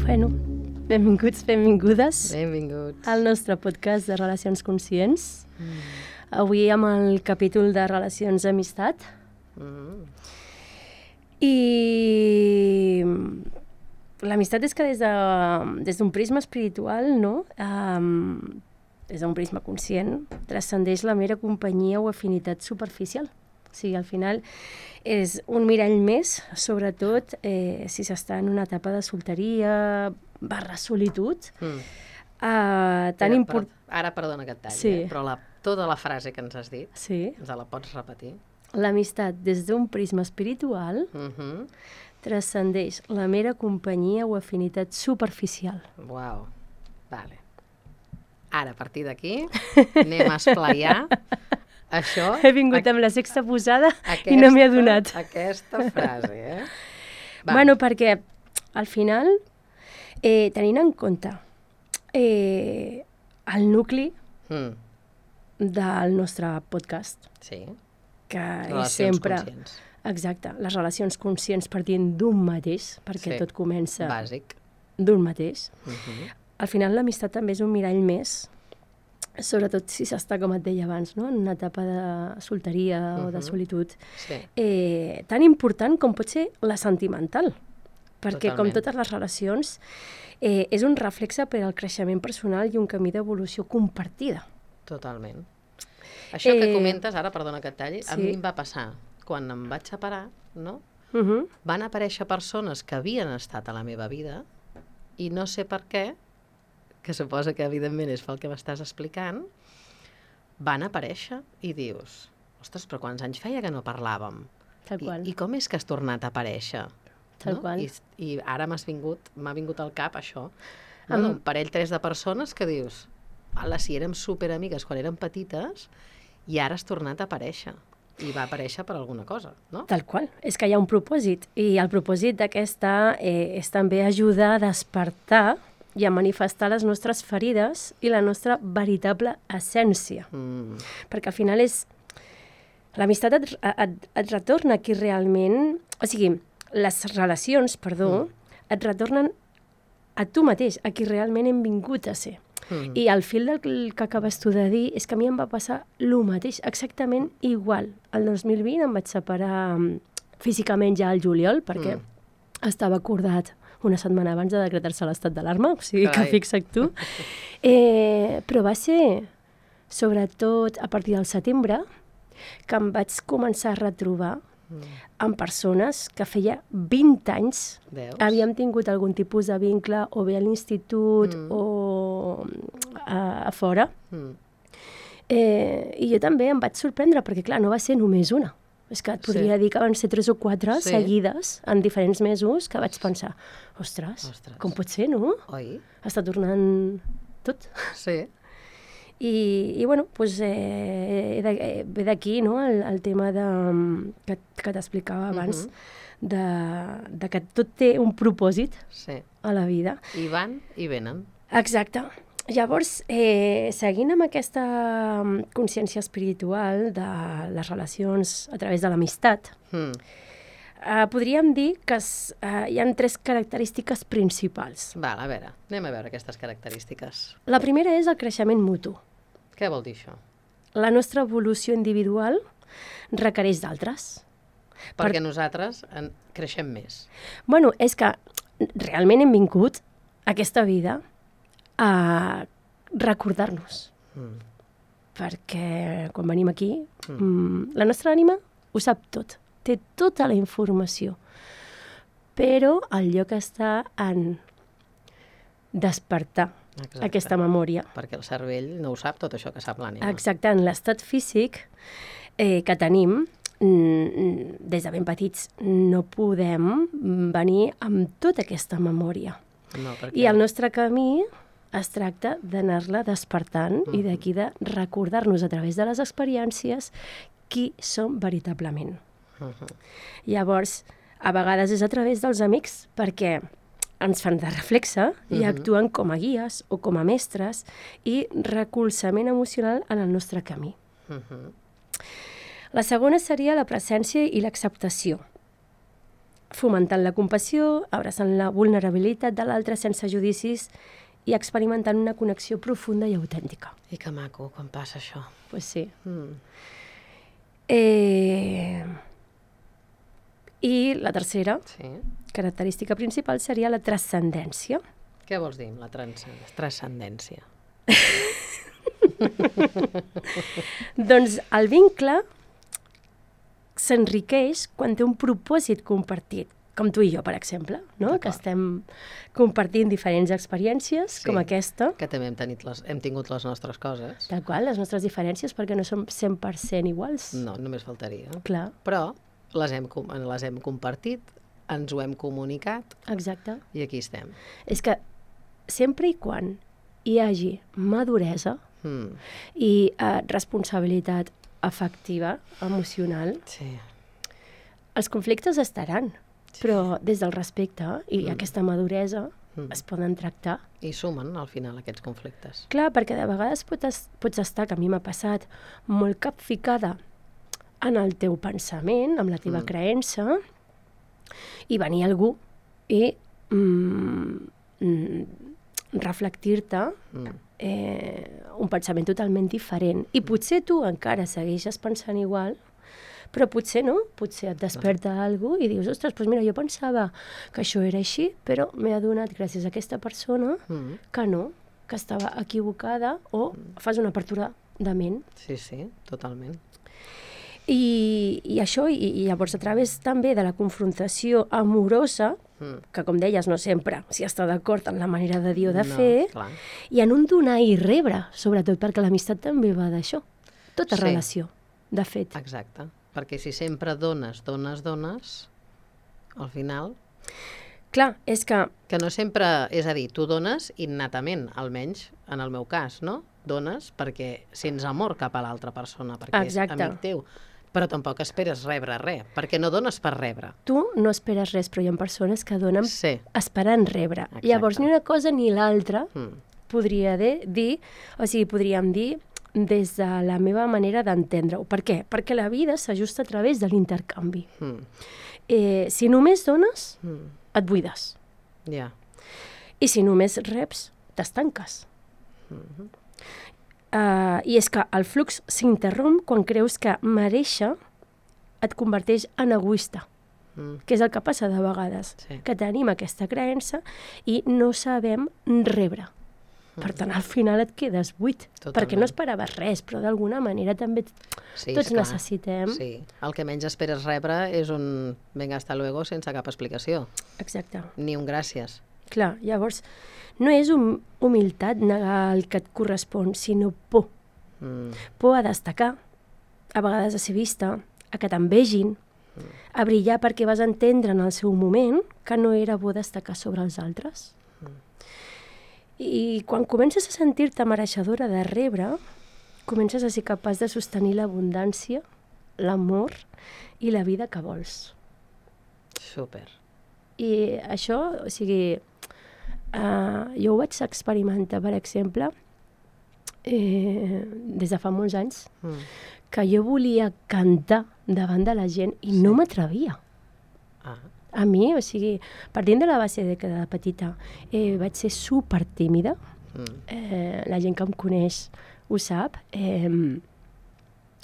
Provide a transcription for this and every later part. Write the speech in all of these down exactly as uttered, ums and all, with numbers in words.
Bueno, benvinguts, benvingudes Benvinguts. al nostre podcast de Relacions Conscients. Mm. Avui amb el capítol de Relacions d'Amistat. Mm. I l'amistat és que des de, des d'un prisma espiritual, no? Um, des d'un prisma conscient, transcendeix la mera companyia o afinitat superficial. O sigui, al final és un mirall més, sobretot eh, si s'està en una etapa de solteria barra solitud. Mm. Uh, tan import... Ara, perdona que et talli, sí. eh? Però la, tota la frase que ens has dit, sí. ens la pots repetir? L'amistat des d'un prisma espiritual uh-huh. transcendeix la mera companyia o afinitat superficial. Uau, vale. Ara, a partir d'aquí, anem a esplaiar això... He vingut a... amb la sexta posada aquesta, i no m'he adonat. Aquesta frase, eh? Va. Bueno, perquè al final, eh, tenint en compte eh, el nucli mm. del nostre podcast, sí. que relacions és sempre... conscients. Exacte, les relacions conscients partint d'un mateix, perquè sí. tot comença bàsic d'un mateix. Uh-huh. Al final l'amistat també és un mirall més, sobretot si s'està, com et deia abans, no? En una etapa de solteria uh-huh. o de solitud, sí. eh, tan important com pot ser la sentimental, perquè Totalment. com totes les relacions eh, és un reflexe per al creixement personal i un camí d'evolució compartida. Totalment. Això eh, que comentes, ara, perdona que et talli, sí. a mi em va passar quan em vaig separar, no? Uh-huh. Van aparèixer persones que havien estat a la meva vida i no sé per què, que suposa que evidentment és pel que m'estàs explicant, van aparèixer i dius, ostres, però quants anys feia que no parlàvem? Tal qual. I, i com és que has tornat a aparèixer? Tal no? qual. I, I ara m'has vingut, m'ha vingut al cap això. No, um, un parell, tres de persones que dius, ala, si érem superamigues quan érem petites i ara has tornat a aparèixer. I va aparèixer per alguna cosa, no? Tal qual. És que hi ha un propòsit. I el propòsit d'aquesta eh, és també ajudar a despertar i a manifestar les nostres ferides i la nostra veritable essència. Mm. Perquè al final és... L'amistat et, et, et retorna qui realment... O sigui, les relacions, perdó, mm. et retornen a tu mateix, a qui realment hem vingut a ser. Mm. I al fil del que acabes tu de dir és que a mi em va passar el mateix, exactament igual. El dos mil vint em vaig separar físicament ja al juliol, perquè mm. estava acordat una setmana abans de decretar-se l'estat d'alarma, o sigui Carai. Que fixa't tu. Eh, però va ser, sobretot a partir del setembre, que em vaig començar a retrobar mm. amb persones que feia vint anys Veus? Havíem tingut algun tipus de vincle o bé a l'institut mm. o a, a fora. Mm. Eh, I jo també em vaig sorprendre, perquè clar, no va ser només una. És que et podria sí. dir que van ser tres o quatre sí. seguides en diferents mesos que vaig pensar, ostres, ostres. com pot ser, no? Oi? Està tornant tot. Sí. I, i bueno, doncs, eh, eh, ve d'aquí, no?, el, el tema de, que, que t'explicava abans, uh-huh. de, de que tot té un propòsit sí. a la vida. I van i venen. Exacte. Llavors, eh, seguint amb aquesta consciència espiritual de les relacions a través de l'amistat, mm. eh, podríem dir que es, eh, hi ha tres característiques principals. Val, a veure, anem a veure aquestes característiques. La primera és el creixement mutu. Què vol dir això? La nostra evolució individual requereix d'altres. Perquè per... nosaltres en creixem més. Bueno, és que realment hem vingut a aquesta vida a recordar-nos. Mm. Perquè quan venim aquí, mm. la nostra ànima ho sap tot, té tota la informació, però el lloc està en despertar Exacte. Aquesta memòria. Perquè el cervell no ho sap tot això que sap l'ànima. Exacte, en l'estat físic eh, que tenim, mm, des de ben petits, no podem venir amb tota aquesta memòria. No, perquè... I el nostre camí es tracta d'anar-la despertant uh-huh. i d'aquí de recordar-nos a través de les experiències qui som veritablement. Uh-huh. Llavors, a vegades és a través dels amics, perquè ens fan de reflexe i uh-huh. actuen com a guies o com a mestres i recolzament emocional en el nostre camí. Uh-huh. La segona seria la presència i l'acceptació. fomentant la compassió, abraçant la vulnerabilitat de l'altre sense judicis i experimentant una connexió profunda i autèntica. I que maco, quan passa això. Doncs pues sí. Mm. Eh... I la tercera Sí. característica principal seria la transcendència. Què vols dir amb la trans- transcendència? Doncs el vincle s'enriqueix quan té un propòsit compartit, com tu i jo, per exemple, no? D'acord. Que estem compartint diferents experiències, Sí. com aquesta, Que també hem, tenit les, hem tingut les nostres coses. tal qual, les nostres diferències, perquè no som cent per cent iguals. No, només faltaria. Clar, Però les hem, com- les hem compartit, ens ho hem comunicat exacte. i aquí estem. És que sempre i quan hi hagi maduresa Mm. i eh, responsabilitat afectiva, emocional, Sí. els conflictes estaran, però des del respecte i Mm. aquesta maduresa Mm. es poden tractar. I sumen, al final, aquests conflictes. Clar, perquè de vegades pots, pots estar, que a mi m'ha passat, molt capficada en el teu pensament, amb la teva Mm. creença, i venir algú i mm, mm, reflectir-te Mm. eh, un pensament totalment diferent. I potser tu encara segueixes pensant igual, però potser no, potser et desperta alguna cosa i dius, ostres, doncs mira, jo pensava que això era així, però m'he adonat gràcies a aquesta persona Mm. que no, que estava equivocada, o fas una apertura de ment. Sí, sí, totalment. I, i això, i, i llavors a través també de la confrontació amorosa, Mm. que com deies, no sempre s'hi està d'acord en la manera de dir o de No, fer, clar. i en un donar i rebre, sobretot perquè l'amistat també va d'això. Tota Sí. relació, de fet. Exacte. Perquè si sempre dones, dones, dones, al final... Clar, és que Que no sempre... És a dir, tu dones innatament, almenys en el meu cas, no? Dones perquè sents amor cap a l'altra persona, perquè Exacte. és amic teu. Però tampoc esperes rebre res, perquè no dones per rebre. tu no esperes res, però hi ha persones que donen Sí. esperant rebre. Exacte. Llavors, ni una cosa ni l'altra Mm. podria de, dir, o sigui, podríem dir des de la meva manera d'entendre-ho. Per què? Perquè la vida s'ajusta a través de l'intercanvi. Mm. Eh, si només dones, Mm. et buides. Ja. I si només reps, t'estanques. Mm-hmm. Uh, I és que el flux s'interromp quan creus que mereixer et converteix en egoista, Mm. que és el que passa de vegades, Sí. que tenim aquesta creença i no sabem rebre. Per tant, al final et quedes buit, Totalment. perquè no esperaves res, però d'alguna manera també Sí, tots esclar. necessitem. Sí. El que menys esperes rebre és un venga, hasta luego, sense cap explicació. Exacte. Ni un gràcies. Clar, llavors, no és hum humilitat negar el que et correspon, sinó por. Mm. Por a destacar, a vegades a ser vista, a que t'envegin, a brillar perquè vas entendre en el seu moment que no era bo destacar sobre els altres. I quan comences a sentir-te mereixedora de rebre, comences a ser capaç de sostenir l'abundància, l'amor i la vida que vols. Súper. I això, o sigui, uh, jo ho vaig experimentar, per exemple, eh, des de fa molts anys, Mm. que jo volia cantar davant de la gent i sí. no m'atrevia. Ah. A mi, o sigui, partint de la base de que de petita eh, vaig ser super tímida, Mm. eh, la gent que em coneix ho sap, eh,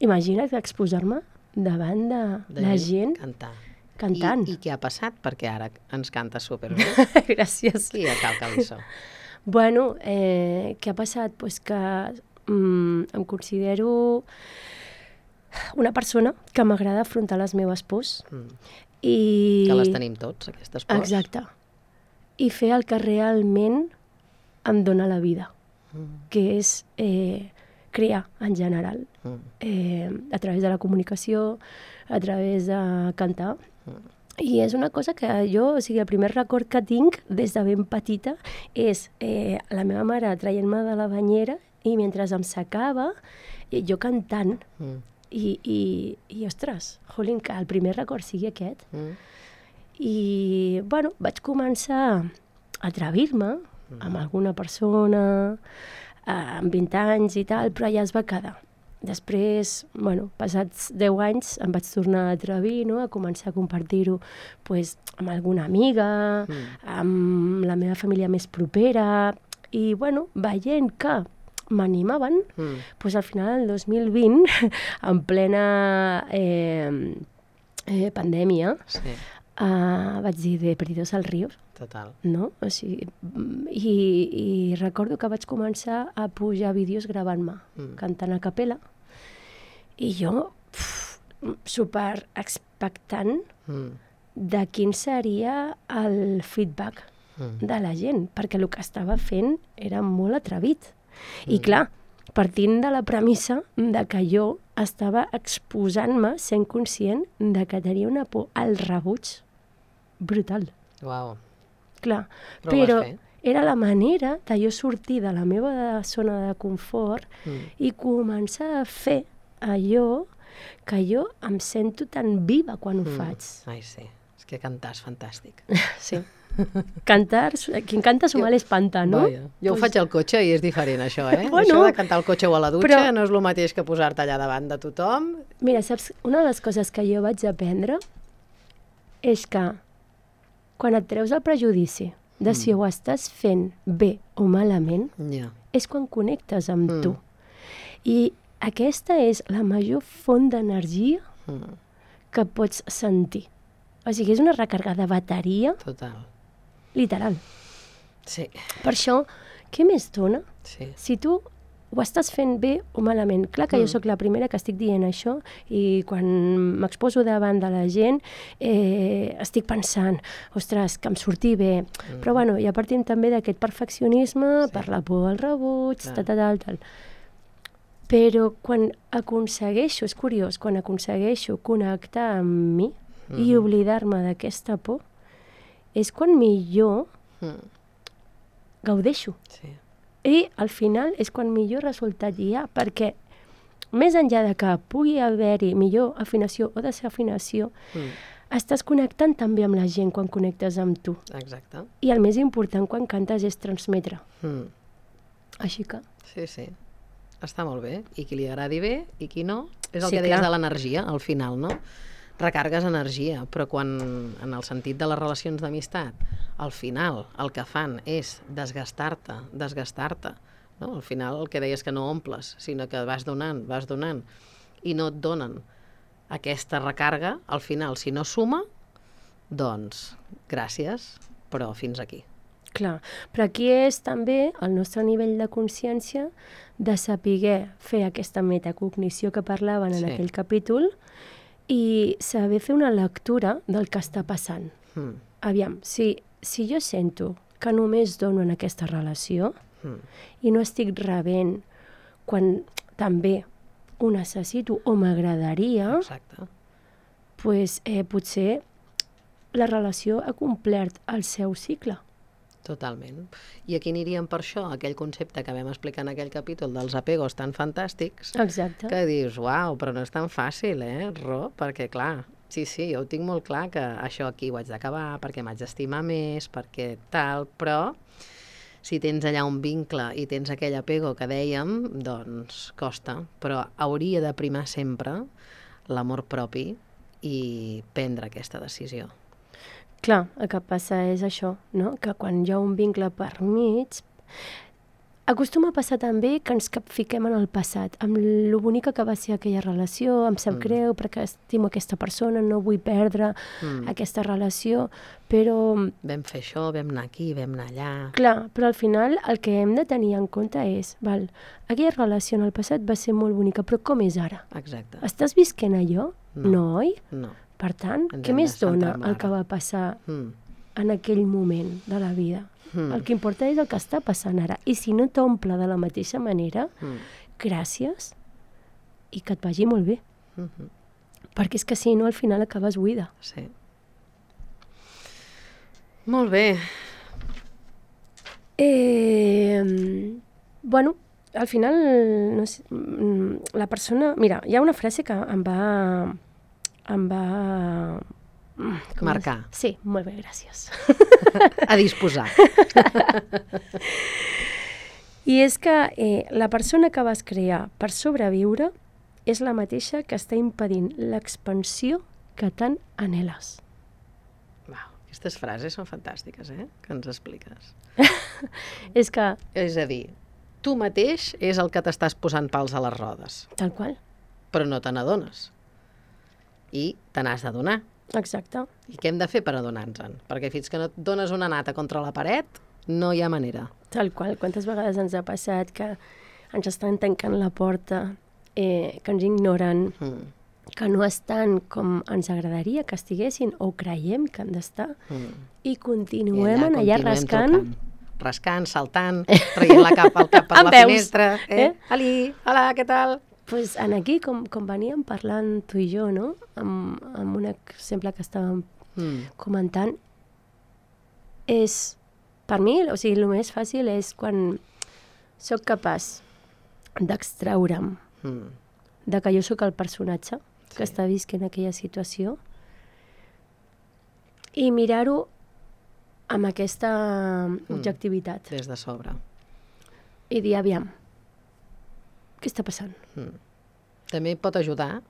imagina't exposar-me davant de, De la gent Cantar. cantant. I, I què ha passat? Perquè ara ens canta superbé. Gràcies. Qui a Cal Calissó? Bueno, eh, què ha passat? Pues que mm, em considero una persona que m'agrada afrontar les meves pors Mm. i... Que les tenim tots, aquestes pors. Exacte. I fer el que realment em dóna la vida, Mm. que és eh, crear en general, Mm. eh, a través de la comunicació, a través de cantar. Mm. I és una cosa que jo, o sigui, el primer record que tinc des de ben petita és eh, la meva mare traient-me de la banyera i mentre em secava, eh, jo cantant. Mm. I, i, i ostres, jolín, que el primer record sigui aquest. Mm. I, bueno, vaig començar a atrevir-me amb alguna persona, eh, amb vint anys i tal, però ja es va quedar. després, bueno, passats deu anys, em vaig tornar a atrevir, no?, a començar a compartir-ho pues, amb alguna amiga, mm. amb la meva família més propera, i, bueno, veient que m'animaven, mm. pues, al final del dos mil vint, en plena eh, eh, pandèmia, sí. uh, vaig dir de Perdidos al Río. Total. No? O sigui, i, i recordo que vaig començar a pujar vídeos gravant-me, mm. cantant a capella, i jo, pf, super expectant mm. de quin seria el feedback mm. de la gent, perquè el que estava fent era molt atrevit. Mm. I clar, partint de la premissa de que jo estava exposant-me, sent conscient de que tenia una por al rebuig brutal. Uau. Clar, però, però era la manera de jo sortir de la meva zona de confort mm. i començar a fer allò que jo em sento tan viva quan ho mm. faig. Ai, sí. És que cantar és fantàstic. Sí. Cantar, quien canta su mal espanta, no? Vaja. Jo pues... ho faig al cotxe i és diferent, això, eh? Bueno, això de cantar al cotxe o a la dutxa però... no és el mateix que posar-te allà davant de tothom. Mira, saps, una de les coses que jo vaig aprendre és que quan et treus el prejudici de mm. si ho estàs fent bé o malament, yeah. és quan connectes amb mm. tu. I aquesta és la major font d'energia mm. que pots sentir. O sigui, és una recàrrega de bateria. Total. Literal. Sí. Per això, què més dona? Sí. Si tu ho estàs fent bé o malament. Clar que mm. jo sóc la primera que estic dient això i quan m'exposo davant de la gent eh, estic pensant, ostres, que em surti bé. Mm. Però bueno, ja partim també d'aquest perfeccionisme, sí. per la por al rebuig, tal, tal, tal, tal. Però quan aconsegueixo, és curiós, quan aconsegueixo connectar amb mi mm. i oblidar-me d'aquesta por, és quan millor mm. gaudeixo. Sí. I al final és quan millor resultat hi ha, perquè més enllà de que pugui haver-hi millor afinació o desafinació, mm. estàs connectant també amb la gent quan connectes amb tu. Exacte. I el més important quan cantes és transmetre. Mm. Així que... Sí, sí. Està molt bé. I qui li agradi bé i qui no, és el sí, que deies clar. de l'energia, al final, no? Recargues energia, però quan, en el sentit de les relacions d'amistat, al final el que fan és desgastar-te, desgastar-te, no? Al final el que deies que no omples, sinó que vas donant, vas donant, i no et donen aquesta recàrrega, al final, si no suma, doncs gràcies, però fins aquí. Clar, però aquí és també el nostre nivell de consciència de saber fer aquesta metacognició que parlaven en sí. aquell capítol, i saber fer una lectura del que està passant. Mm. Aviam, si, si jo sento que només dono en aquesta relació mm. i no estic rebent quan també ho necessito o m'agradaria, pues, eh, potser la relació ha complert el seu cicle. Totalment. I aquí aniríem per això, aquell concepte que vam explicar en aquell capítol dels apegos tan fantàstics, exacte. Que dius, uau, però no és tan fàcil, eh, Ro? Perquè, clar, sí, sí, jo ho tinc molt clar que això aquí ho haig d'acabar, perquè m'haig d'estimar més, perquè tal, però si tens allà un vincle i tens aquell apego que dèiem, doncs costa, però hauria de primar sempre l'amor propi i prendre aquesta decisió. Clar, el que passa és això, no? Que quan hi ha un vincle per mig, acostuma a passar també que ens capfiquem en el passat, amb lo bonica que va ser aquella relació, em sap mm. greu perquè estimo aquesta persona, no vull perdre mm. aquesta relació, però... Vam fer això, vam anar aquí, vam anar allà... Clar, però al final el que hem de tenir en compte és, val, aquella relació en el passat va ser molt bonica, però com és ara? Exacte. Estàs visquent allò? No, no oi? No. Per tant, ens què més dona el que va passar mm. en aquell moment de la vida? Mm. El que importa és el que està passant ara. I si no t'omple de la mateixa manera, mm. gràcies i que et vagi molt bé. Mm-hmm. Perquè és que si no, al final acabes buida. Sí. Molt bé. Eh, bueno, al final, no sé, la persona... Mira, hi ha una frase que em va... em va... Com marcar. És? Sí, molt bé, gràcies. A disposar. I és que eh, la persona que vas crear per sobreviure és la mateixa que està impedint l'expansió que tant anheles. Uau, aquestes frases són fantàstiques, eh? Que ens expliques. És que... És a dir, tu mateix és el que t'estàs posant pals a les rodes. Tal qual. Però no te n'adones. I te n'has d'adonar. Exacte. I què hem de fer per adonar-nos-en? Perquè fins que no et dones una nata contra la paret, no hi ha manera. Tal qual. Quantes vegades ens ha passat que ens estan tancant la porta, eh, que ens ignoren, mm. que no estan com ens agradaria que estiguessin o creiem que han d'estar, mm. i continuem I allà, allà rascant. Trucant. Rascant, saltant, traient la cap, el cap per la veus. Finestra. Eh? eh? Ali, hola, què tal? Pues en aquí, com, com veníem parlant tu i jo, no? Amb, amb un exemple que estàvem mm. comentant, és, per mi, o sigui, el més fàcil és quan sóc capaç d'extraure'm mm. de que jo sóc el personatge sí. que està visquent aquella situació i mirar-ho amb aquesta mm. objectivitat. Des de sobre. I dir, aviam, què està passant? Mm. També pot ajudar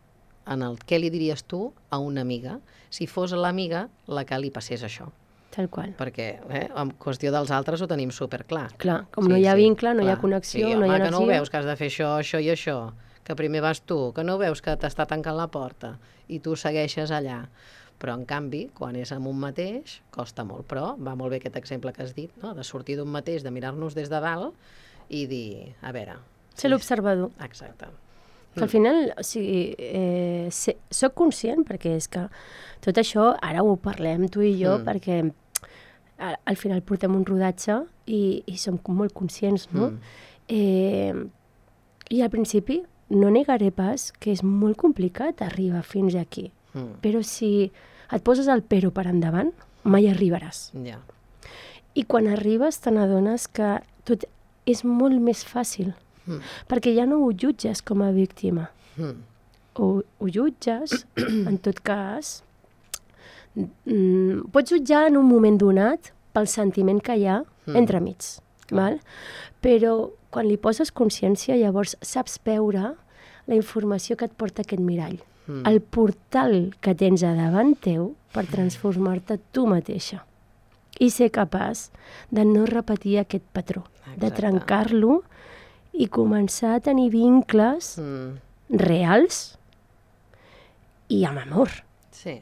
en el què li diries tu a una amiga si fos l'amiga la que li passés això. Tal qual. Perquè eh, en qüestió dels altres ho tenim superclar. Clar, com sí, no hi ha vincle, no clar. Hi ha connexió, sí, no home, hi ha energia. Que no ho veus, que has de fer això, això i això, que primer vas tu, que no veus que t'està tancant la porta i tu segueixes allà. Però, en canvi, quan és amb un mateix, costa molt. Però va molt bé aquest exemple que has dit, no? De sortir d'un mateix, de mirar-nos des de dalt i dir, a veure... Ser sí, l'observador. Exacte. Que al final, o sigui, eh, sé, soc conscient, perquè és que tot això, ara ho parlem tu i jo, mm. perquè a, al final portem un rodatge i, i som molt conscients, no? Mm. Eh, I al principi no negaré pas que és molt complicat arribar fins aquí. Mm. Però si et poses el però per endavant, mai arribaràs. Yeah. I quan arribes te n'adones que tot és molt més fàcil. Mm. Perquè ja no ho jutges com a víctima. Mm. O ho jutges, en tot cas, mm, pots jutjar en un moment donat pel sentiment que hi ha mm. entremig. Val? Però quan li poses consciència, llavors saps veure la informació que et porta aquest mirall. Mm. El portal que tens a davant teu per transformar-te tu mateixa. I ser capaç de no repetir aquest patró, exacte. De trencar-lo i començar a tenir vincles mm. reals i amb amor. Sí,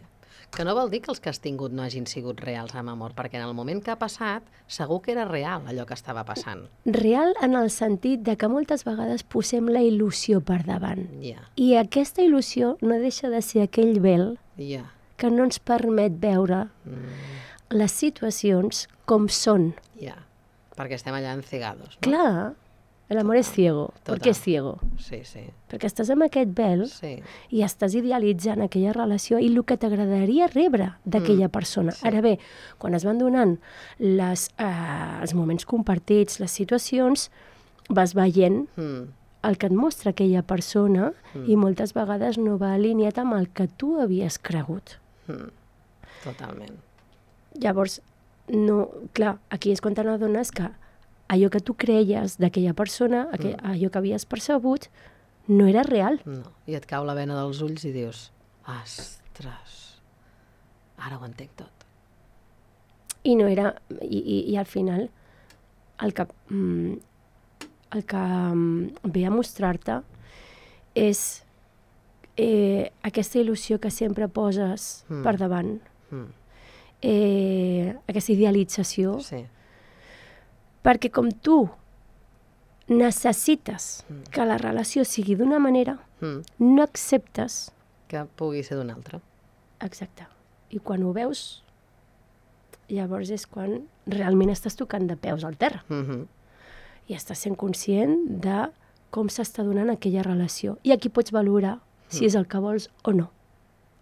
que no vol dir que els que has tingut no hagin sigut reals amb amor, perquè en el moment que ha passat segur que era real allò que estava passant. Real en el sentit de que moltes vegades posem la il·lusió per davant. Yeah. I aquesta il·lusió no deixa de ser aquell vel yeah. que no ens permet veure mm. les situacions com són. Ja, yeah. perquè estem allà encegados. No? Clar, l'amor és ciego. Per què és ciego? Sí, sí. Perquè estàs amb aquest vel sí. i estàs idealitzant aquella relació i el que t'agradaria rebre d'aquella mm. persona. Sí. Ara bé, quan es van donant les, eh, els moments compartits, les situacions, vas veient mm. el que et mostra aquella persona mm. i moltes vegades no va alineat amb el que tu havies cregut. Mm. Totalment. Llavors, no, clar, aquí és quan te n'adones que allò que tu creies d'aquella persona, aquell, mm. allò que havies percebut, no era real. No, i et cau la vena dels ulls i dius, ostres, ara ho entenc tot. I no era, i, i, i al final, el que, mm, el que mm, ve a mostrar-te és eh, aquesta il·lusió que sempre poses mm. per davant. Mm. Eh, aquesta idealització, sí. perquè com tu necessites mm. que la relació sigui d'una manera, mm. no acceptes que pugui ser d'una altra. Exacte. I quan ho veus, llavors és quan realment estàs tocant de peus al terra. Mm-hmm. I estàs sent conscient de com s'està donant aquella relació. I aquí pots valorar mm. si és el que vols o no.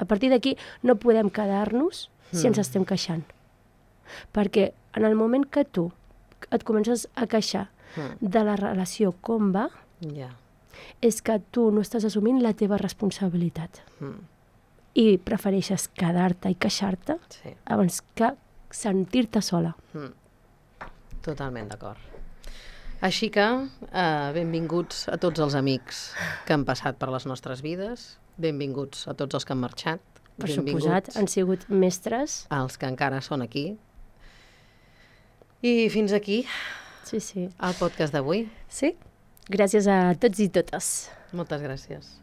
A partir d'aquí no podem quedar-nos si ens estem queixant. Perquè en el moment que tu et comences a queixar mm. de la relació com va, yeah. és que tu no estàs assumint la teva responsabilitat. Mm. I prefereixes quedar-te i queixar-te sí. abans que sentir-te sola. Mm. Totalment d'acord. Així que, eh, benvinguts a tots els amics que han passat per les nostres vides, benvinguts a tots els que han marxat, Per suposat, han sigut mestres. als que encara són aquí. I fins aquí Sí, sí. el podcast d'avui. Sí? Gràcies a tots i totes. Moltes gràcies.